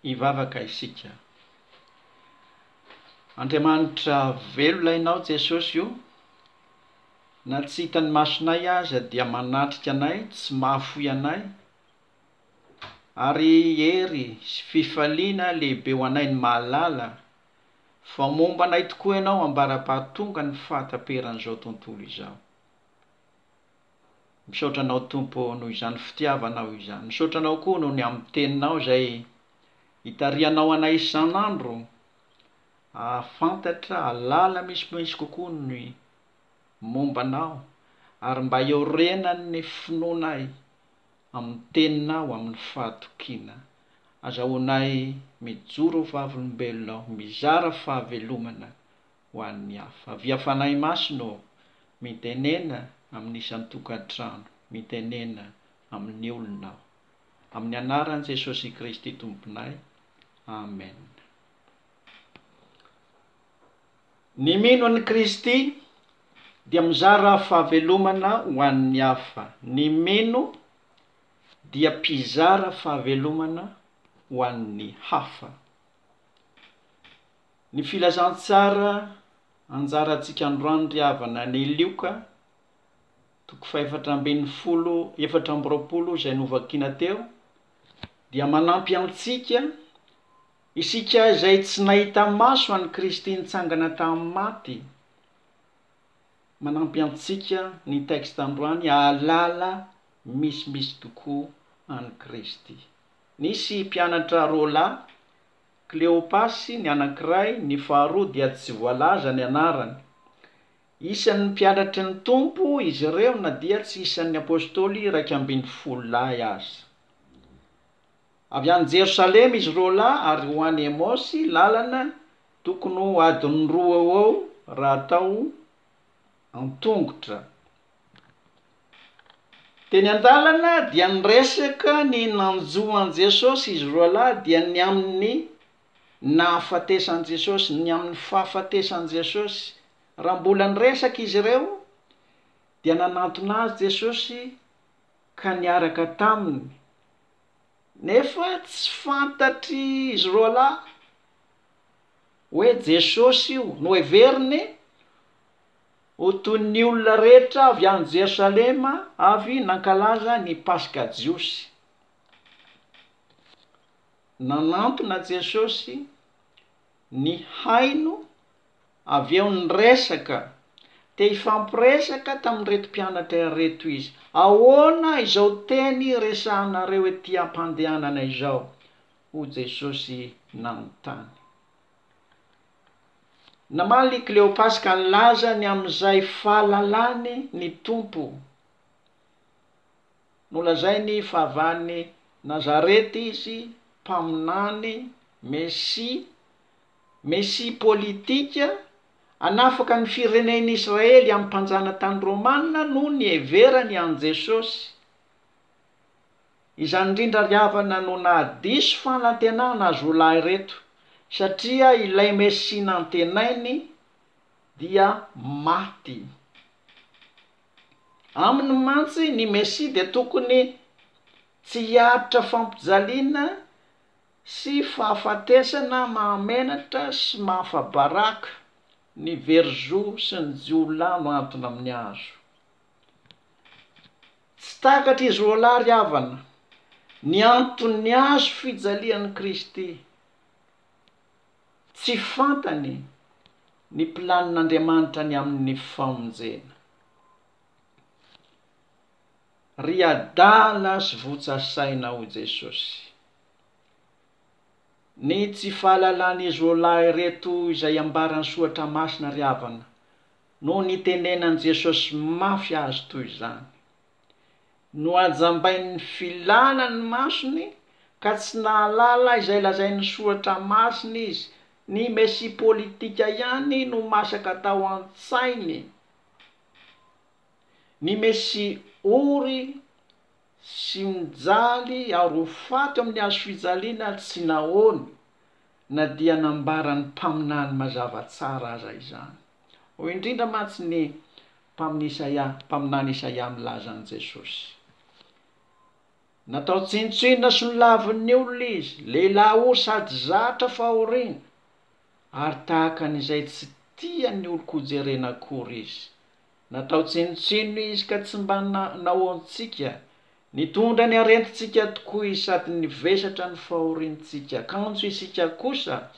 Hivavaka isika. Andriamanitra velona Ianao Jesosy o, na tsy hitan'ny masonay aza dia manatrika anay, tsy mahafoy anay, ary hery sy fifaliana lehibe ho anay ny mahalala fa momba anay tokoa Ianao ambara-pahatonga ny fahataperan'izao tontolo izao. Misaotra Anao Tompo ô noho izany fitiavanao izany. Misaotra Anao koa noho ny amin'ny Teninao izay itarihanao anay isan'andro hahafantatra, hahalala misimisy kokoa ny momba Anao ary mba hiorenan'ny finoanay amin'ny Teninao amin'ny fahatokiana. Azahoanay mijoro ho vavolombelonao, mizara fahavelomana ho an'ny hafa. Avia Fanahy Masina ô, mitenena amin'ny isan-tokantrano, mitenena amin'ny olona aho. Amin'ny anaran'i Jesosy Kristy Tomponay. Amen. Ny mino an'i Kristy dia mizara fahavelomana ho an'ny hafa. Ny mino dia mpizara fahavelomana ho an'ny hafa. Ny filazantsara anjarantsika androany ry havana ny Lioka toko fahefatra ambinifolo 24 izay novakiana teo dia manampy antsika isika izay tsy nahita maso an'i Kristy nitsangana tamin'ny maty manampy antsika ny texte androany hahalala misimisy tokoa an'i Kristy. Nisy mpianatra roalahy Kleopasy ny anankiray, ny faharoa dia tsy voalaza ny anarany. Isan'ny mpianatry ny Tompo izy ireo na dia tsy isan'ny Apostoly 11 lahy aza. Avy any Jerosalema izy roalahy ary ho any Emaosy, lalana tokony ho adiny roa eo ho eo raha atao an-tongotra. Teny an-dalana dia niresaka ny nanjo an'i Jesosy izy roalahy dia ny amin'ny nahafatesan'i Jesosy, ny amin'ny fahafatesan'i Jesosy. Raha mbola niresaka izy ireo dia nanantona azy Jesosy ka niaraka taminy. Nefa tsy fantatr'izy roalahy hoe Jesosy io. Noheveriny Ho toy ny olona rehetra avy any Jerosalema avy nankalaza ny Paska jiosy. Nanantona Jesosy, nihaino, avy eo niresaka. Te hifampiresaka tamin'ireto mpianatra ireto izy. Ahoana izao teny resahanareo ety am-pandehanana izao? hoy Jesosy nanontany. Namaly i Kleopasy ka nilaza ny amin'izay fahalalany ny Tompo. Nolazainy fa avy any Nazareta izy, mpaminany, Mesia, Mesia politika, hanafaka ny firenen'Israely amin'ny mpanjanatany romana no niheverany an'i Jesosy. Izany indrindra ry havana no nahadiso fanantenana azy roa lahy ireto, satria ilay Mesia nantenainy dia maty. Aminy mantsy ny Mesia dia tokony tsy hiaritra fampijaliana sy fahafatesana mahamenatra sy mahafa-baraka, ny very zo sy ny jiolahy no antona amin'ny hazo. Tsy takatr'izy roalahy ry havana ny anton'ny hazo fijalian'i Kristy. Tsy fantany ny planin'Andriamanitra ny amin'ny famonjena. Ry adala sy votsa saina hoy Jesosy. Ny tsy fahalalan'izy roalahy ireto izay ambaran'ny Soratra Masina ry havana no nitenenan'i Jesosy mafy azy toy izany. Nohajambain'ny filana ny masony ka tsy nahalala izay lazain'ny Soratra Masina izy. Ny Mesia politika ihany no masaka tao an-tsainy. Ny Mesia ory sy mijaly ary ho faty amin'ny hazofijaliana tsy nahoany na dia nambaran'ny mpaminany mazava tsara aza izany. Hoy indrindra mantsy ny mpamin'ny Isaia, mpaminany Isaia milaza an'i Jesosy. Natao tsinontsinona sy nolavin'ny olona izy, lehilahy ory sady zatra fahoriana, ary tahaka ny izay tsy tian'ny olon-kojerena akory izy. Natao tsinontsinona izy ka tsy mba nahoantsika. Nitondra ny arentintsika tokoa izy sady nivesatra ny fahoriantsika, kanjo isika kosa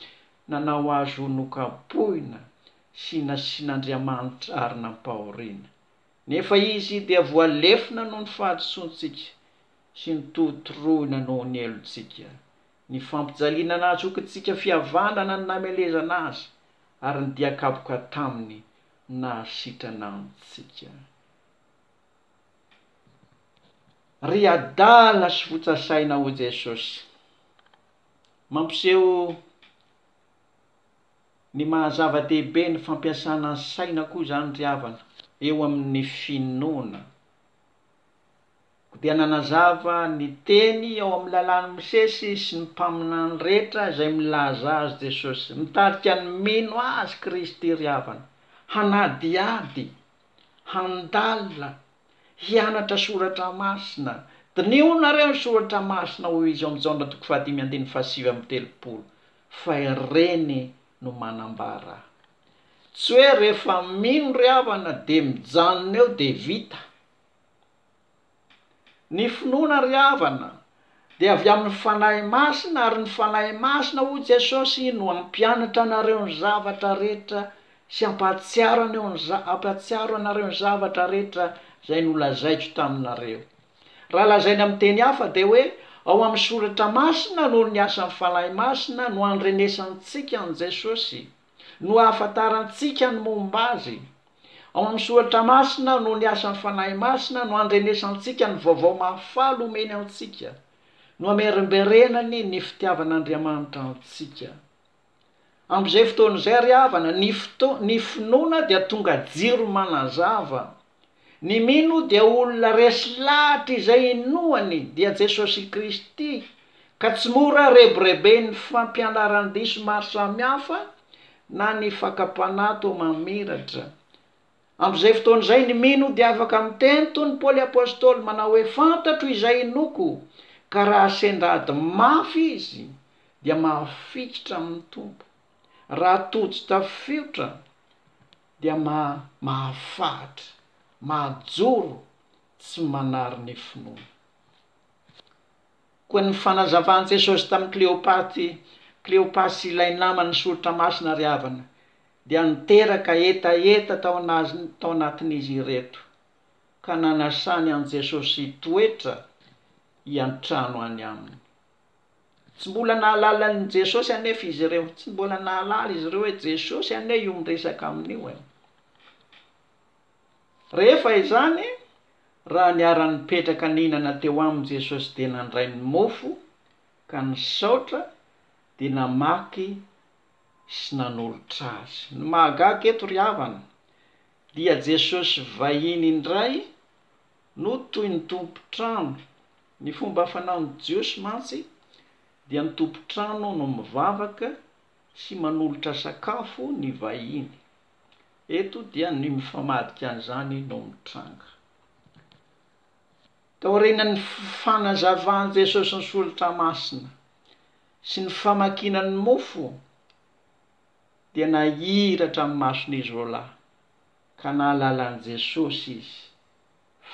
nanao azy ho nokapohina sy nasian'Andriamanitra ary nampahoriana. Nefa izy dia voalefona noho ny fahadisoantsika sy notorotoroina noho ny helotsika. Ny fampijaliana nahazokintsika fihavanana no namelezana azy, ary ny dia kapoka taminy no nahasitrana antsika. Ry adala sy votsa saina hoy Jesosy. Mampiseho ny maha zava-dehibe ny fampiasana ny saina koa izany ry havana eo amin'ny finoana. Koa dia nanazava ny teny ao amin'ny lalàn'i Mosesy sy ny mpaminany rehetra izay milaza azy Jesosy. Mitarika ny mino azy Kristy ry havana, hanadihady, handalina, hianatra soratra masina. Diniho nareo ny soratra masina hoy izy ao amin'ny Jaona toko fahadimy andininy fahasivy amby telopolo fa ireny no manambara. Tsy hoe rehefa mino ry havana dia mijanona eo dia vita. Ny finoana ry havana dia avy amin'ny Fanahy Masina ary ny Fanahy Masina hoy Jesosy no hampianatra anareo ny zavatra rehetra sy hampahatsiaro aneo ny hampahatsiaro anareo ny zavatra rehetra izay nolazaiko taminareo. Raha lazaina amin'ny teny hafa dia hoe ao amin'ny Soratra Masina noho ny asan'ny Fanahy Masina no andrenesantsika an'i Jesosy, no ahafantarantsika ny momba Azy. Ao amin'ny Soratra Masina noho ny asan'ny Fanahy Masina no andrenesantsika ny vaovao mahafaly omeny antsika, no amerimberenany ny fitiavan'Andriamanitra antsika. Amin'izay fotoana izay ry havana, ny foto, ny finoana dia tonga jiro manazava. Ny mino dia olona resy lahatra izay inoany dia Jesosy Kristy, ka tsy mora rebireben'ny fampianaran-diso maro samihafa na ny fakam-panahy toa mamiratra. Amin'izay fotoana izay ny mino dia afaka miteny toy ny Paoly Apostoly manao hoe fantatro izay inoako, ka raha sendra ady mafy izy dia mahafikitra amin'ny Tompo, raha tojo tafiotra dia mahafahatra, mahajoro, tsy manary ny finoana. Koa ny fanazavan'i Jesosy tamin'i Kleopaty, Kleopasy ilay naman'ny soritra masina ry havana, dia niteraka hetaheta tao tao anatin'izy ireto, ka nanasany an'i Jesosy hitoetra hiantrano any aminy. Tsy mbola nahalala an'i Jesosy anefa izy ireo. Tsy mbola nahalala izy ireo hoe Jesosy anie io miresaka aminy io e. Rehefa izany, raha niara-nipetraka nihinana teo aminy Jesosy dia nandray ny mofo ka nisaotra dia namaky sy nanolotra azy. Ny mahagaga eto ry havana dia Jesosy vahiny indray no toy ny tompon-trano. Ny fomba fanaon'ny Jiosy mantsy dia ny tompon-trano no mivavaka sy manolotra sakafo ny vahiny. Eto dia ny mifamadika an'izany no mitranga. Taorian'ny fanazavan'i Jesosy ny Soratra Masina sy ny famakiana ny mofo dia nahiratra ny mason'izy roalahy ka nahalala an'i Jesosy izy,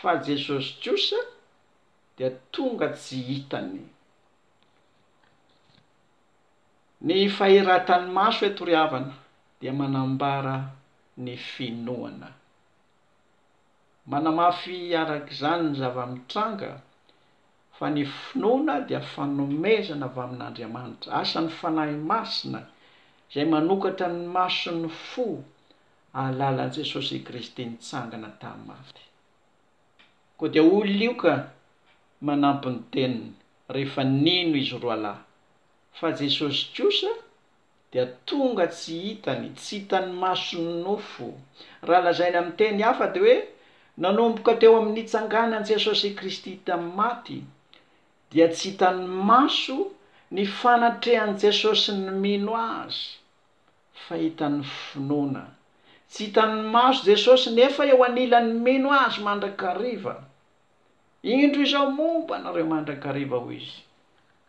fa Jesosy kosa dia tonga tsy hitany. Ny fahiratan'ny maso eto ry havana dia manambara ny finoana. Manamafy araka izany ny zava-mitranga fa ny finoana dia fanomezana avy amin'Andriamanitra, asan'ny Fanahy Masina izay manokatra ny mason'ny fo ahalala an'i Jesosy Kristy nitsangana tamin'ny maty. Koa dia hoy Lioka manampy ny teniny rehefa nino izy roalahy fa Jesosy kosa dia tonga tsy hitany, tsy hitan'ny mason'ny nofo. Raha lazaina amin'ny teny hafa dia hoe nanomboka teo amin'ny nitsanganan'i Jesosy Kristy tamin'ny maty dia tsy hitan'ny maso ny fanatrehan'i Jesosy ny mino Azy fa hitan'ny finoana. Tsy hitan'ny maso Jesosy nefa eo anilan'ny mino Azy mandrakariva. Indro izaho momba anareo mandrakariva, hoy Izy,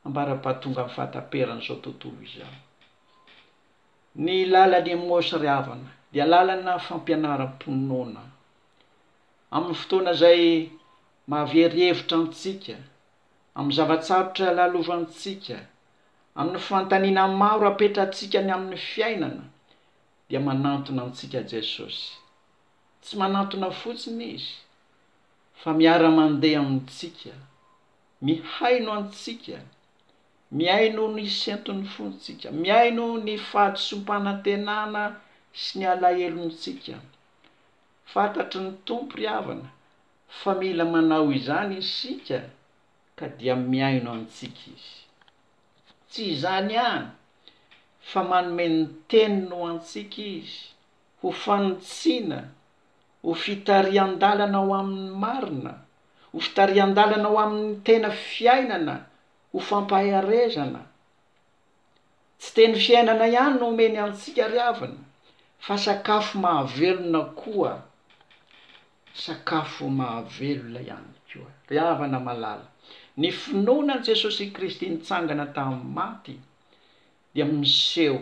ambara-pahatongan'ny fahataperan'izao tontolo izao. Ny lalan'i Emaosy ry havana dia lalana fampianaram-pinoana. Amin'ny fotoana izay mahavery hevitra antsika, amin'ny zava-tsarotra lalovantsika, amin'ny fanontaniana maro apetratsika ny amin'ny fiainana, dia manantona antsika Jesosy. Tsy manantona fotsiny Izy, fa miara-mandeha amintsika, mihaino antsika, mihaino ny senton'ny fontsika, mihaino ny fahadisoam-panantenana sy ny alahelontsika. Fantatry ny Tompo ry havana fa mila manao izany isika ka dia mihaino antsika Izy. Tsy izany ihany fa manome ny Teniny ho antsika Izy ho fanitsiana, ho fitarihan-dalana ho amin'ny marina, ho fitarihan-dalana ho amin'ny tena fiainana, ho fampaherezana. Tsy teny fiainana ihany no omeny antsika ry havana fa sakafo mahavelona koa, sakafo mahavelona ihany koa. Ry havana malala, ny finoana an'i Jesosy Kristy nitsangana tamin'ny maty dia miseho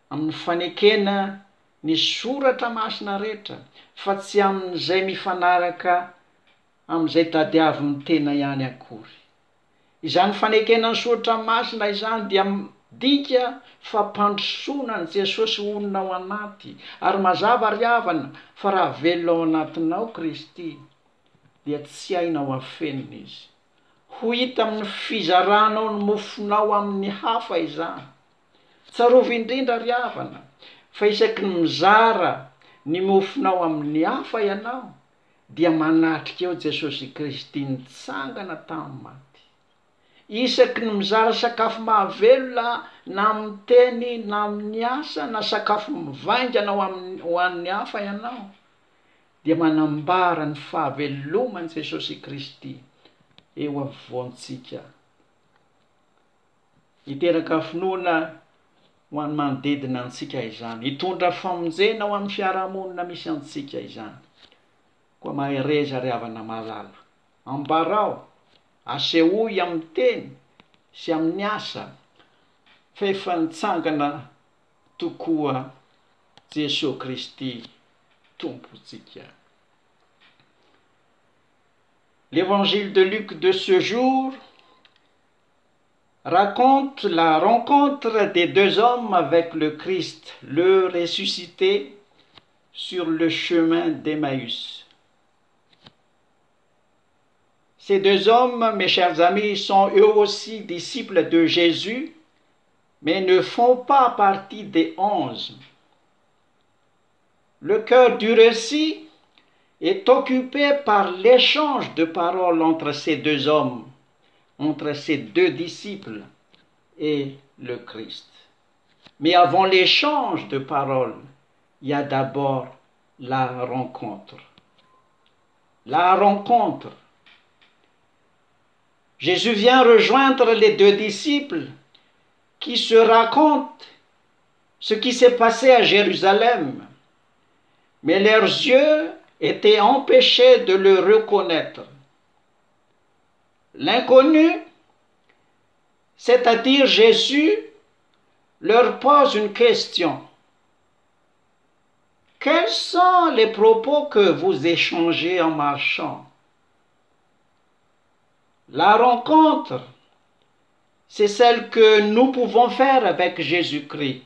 amin'ny fanekena ny soratra masina rehetra fa tsy amin'izay mifanaraka amin'izay tadiavin'ny tena ihany akory. Izany fanekena ny soratra masina izany dia midika fampandrosoana an'i Jesosy honina ao anaty, ary mazava ry havana fa raha velona ao anatinao Kristy dia tsy hainao afenina Izy. Ho hita amin'ny fizaranao ny mofonao amin'ny hafa izany. Tsarovy indrindra ry havana fa isaky ny mizara ny mofonao amin'ny hafa ianao dia manatrika eo Jesosy Kristy nitsangana tamin'ny maty. Isaky ny mizara sakafo mahavelona na amin'ny teny na amin'ny asa na sakafo mivaingana ho amin'ny ho an'ny hafa ianao dia manambara ny fahaveloman'i Jesosy Kristy eo afovoantsika. Hiteraka finoana ho an'ny manodidina antsika izany. Hitondra famonjena ho amin'ny fiarahamonina misy antsika izany. Koa mahereza ry havana malala. Ambarao, asehoy amin'ny teny sy amin'ny asa fa efa nitsangana tokoa Jesoa Kristy Tompontsika. L'évangile de Luc de ce jour raconte la rencontre des deux hommes avec le Christ, le ressuscité, sur le chemin d'Emmaüs. Ces deux hommes, mes chers amis, sont eux aussi disciples de Jésus, mais ne font pas partie des onze. Le cœur du récit est occupé par l'échange de paroles entre ces deux hommes, entre ces deux disciples et le Christ. Mais avant l'échange de paroles, il y a d'abord la rencontre. La rencontre. Jésus vient rejoindre les deux disciples qui se racontent ce qui s'est passé à Jérusalem. Mais leurs yeux étaient empêchés de le reconnaître. L'inconnu, c'est-à-dire Jésus, leur pose une question. Quels sont les propos que vous échangez en marchant La rencontre, c'est celle que nous pouvons faire avec Jésus-Christ.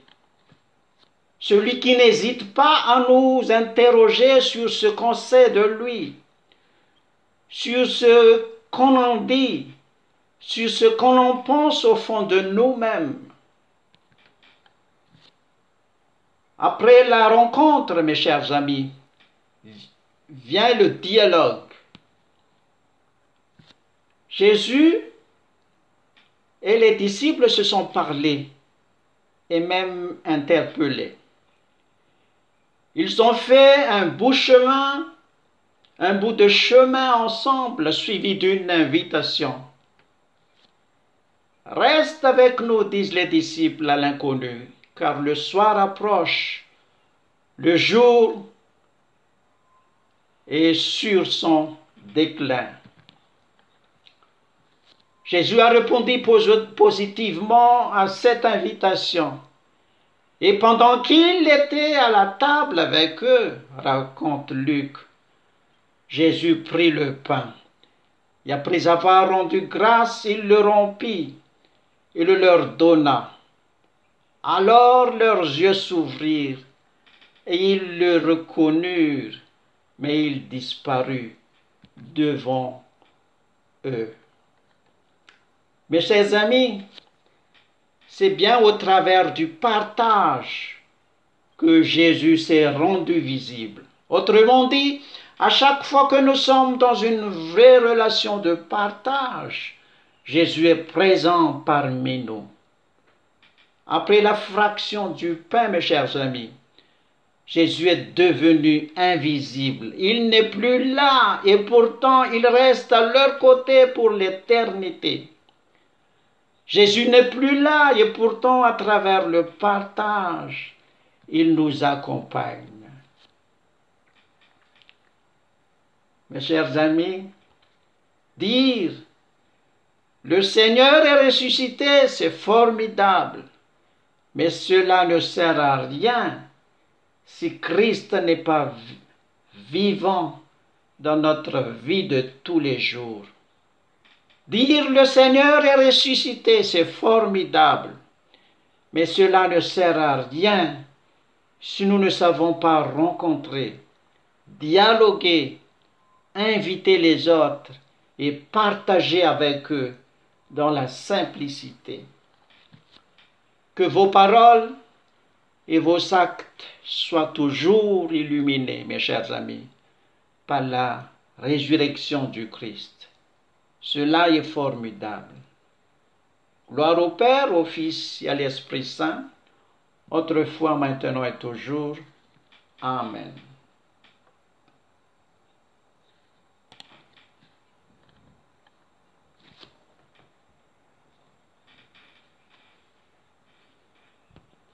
Celui qui n'hésite pas à nous interroger sur ce qu'on sait de lui, sur ce qu'on en dit, sur ce qu'on en pense au fond de nous-mêmes. Après la rencontre, mes chers amis, vient le dialogue. Jésus et les disciples se sont parlé et même interpellés. Ils ont fait un bout chemin, un bout de chemin ensemble suivi d'une invitation. Reste avec nous, disent les disciples à l'inconnu, car le soir approche, le jour est sur son déclin. Jésus a répondu positivement à cette invitation. Et pendant qu'il était à la table avec eux, raconte Luc, Jésus prit le pain. Et après avoir rendu grâce, il le rompit et le leur donna. Alors leurs yeux s'ouvrirent et ils le reconnurent, mais il disparut devant eux. Mes chers amis, c'est bien au travers du partage que Jésus s'est rendu visible. Autrement dit, à chaque fois que nous sommes dans une vraie relation de partage, Jésus est présent parmi nous. Après la fraction du pain, mes chers amis, Jésus est devenu invisible. Il n'est plus là et pourtant il reste à leur côté pour l'éternité. Jésus n'est plus là et pourtant à travers le partage, il nous accompagne. Mes chers amis, dire le Seigneur est ressuscité, c'est formidable, mais cela ne sert à rien si Christ n'est pas vivant dans notre vie de tous les jours. Dire le Seigneur est ressuscité, c'est formidable, mais cela ne sert à rien si nous ne savons pas rencontrer, dialoguer, inviter les autres et partager avec eux dans la simplicité. Que vos paroles et vos actes soient toujours illuminés, mes chers amis, par la résurrection du Christ. Cela est formidable. Gloire au Père, au Fils et à l'Esprit Saint, autrefois, maintenant et toujours. Amen.